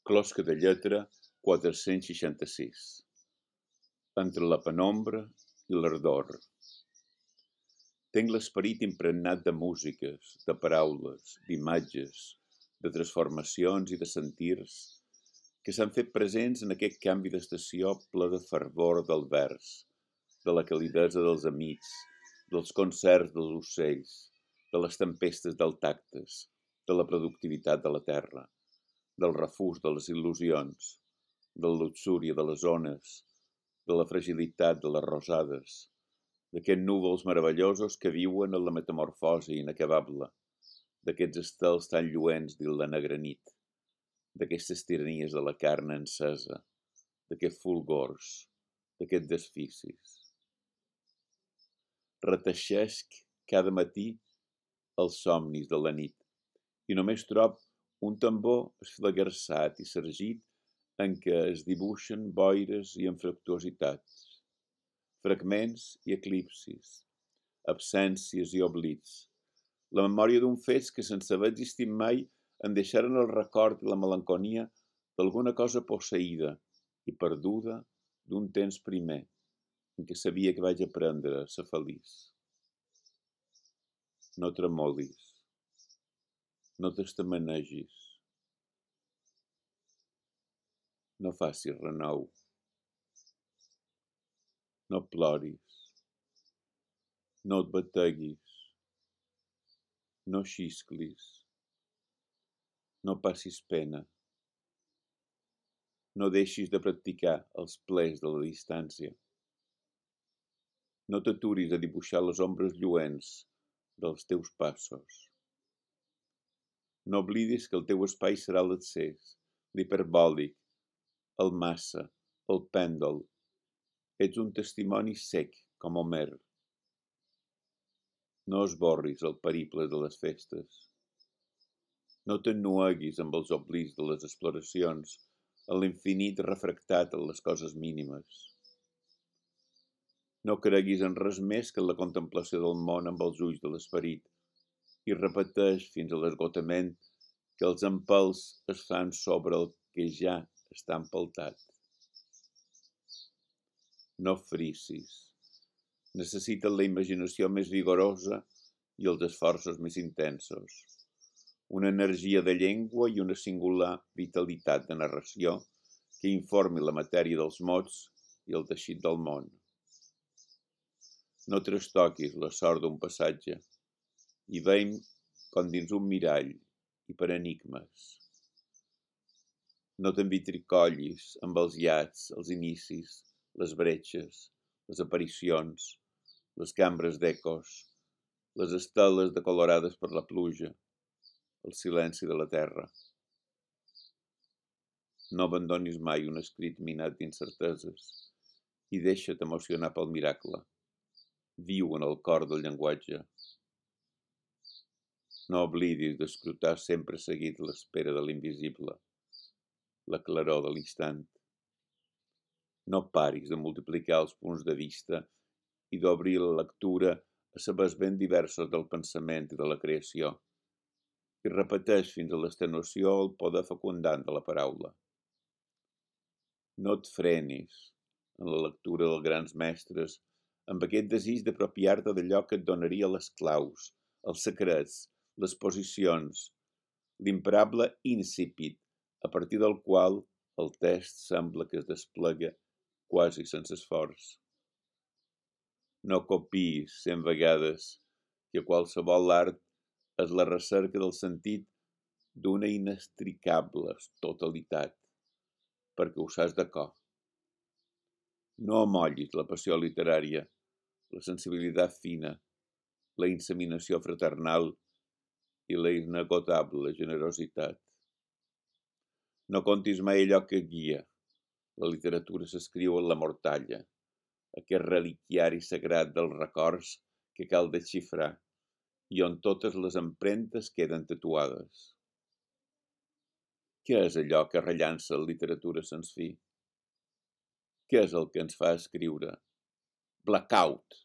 Closca de lletra 466. Entre la penombra i l'ardor. Tenc l'esperit impregnat de músiques, de paraules, d'imatges, de transformacions i de sentirs que s'han fet presents en aquest canvi d'estació ple de fervor del vers, de la calidesa dels amics, dels concerts dels ocells, de les tempestes del tactes, de la productivitat de la terra, del refús de les il·lusions, de la luxúria de les ones, de la fragilitat de les rosades, d'aquests núvols meravellosos que viuen en la metamorfosi inacabable, d'aquests estels tan lluents dins la negra nit, d'aquestes tiranies de la carn encesa, d'aquests fulgors, d'aquests desficis. Reteixesc cada matí els somnis de la nit i només trob un tambor esflagarçat i sargit en què es dibuixen boires i infructuositats, fragments i eclipsis, absències i oblits, la memòria d'un fets que sense haver existit mai en deixaren el record i la melanconia d'alguna cosa posseïda i perduda d'un temps primer, en què sabia que vaig aprendre a ser feliç. No tremolis, no t'estamanegis, no facis renou, no ploris, no et bateguis, no xisclis, no passis pena, no deixis de practicar els plers de la distància, no t'aturis a dibuixar les ombres lluents dels teus passos. No oblidis que el teu espai serà l'accés, l'hiperbòlic, el massa, el pèndol. Ets un testimoni sec, com Homer. No esborris el periple de les festes. No t'ennueguis amb els oblits de les exploracions, en l'infinit refractat en les coses mínimes. No creguis en res més que en la contemplació del món amb els ulls de l'esperit i repeteix fins a l'esgotament que els empelts es fan sobre el que ja està empeltat. No frisis. Necessiten la imaginació més vigorosa i els esforços més intensos. Una energia de llengua i una singular vitalitat de narració que informi la matèria dels mots i el teixit del món. No trastoquis la sort d'un passatge i veiem com dins un mirall i per enigmes. No t'envitricollis amb els iats, els inicis, les bretxes, les aparicions, les cambres d'ecos, les esteles decolorades per la pluja, el silenci de la terra. No abandonis mai un escrit minat d'incerteses i deixa't emocionar pel miracle. Viu en el cor del llenguatge. No oblidis d'escrutar sempre seguit l'espera de l'invisible, la claror de l'instant. No paris de multiplicar els punts de vista i d'obrir la lectura a sabers ben diversos del pensament i de la creació, i repeteix fins a l'extenuació el poder fecundant de la paraula. No et frenis en la lectura dels grans mestres amb aquest desig d'apropiar-te d'allò que et donaria les claus, els secrets, les posicions, l'imparable íncipit a partir del qual el text sembla que es desplega quasi sense esforç. No copiïs 100 vegades que qualsevol art és la recerca del sentit d'una inextricable totalitat, perquè ho saps de cor. No amollis la passió literària, la sensibilitat fina, la inseminació fraternal i la inagotable generositat. No contis mai allò que guia. La literatura s'escriu en la mortalla, aquest reliquiari sagrat dels records que cal desxifrar i on totes les empremtes queden tatuades. Què és allò que rellança la literatura sens fi? Què és el que ens fa escriure? Blackout!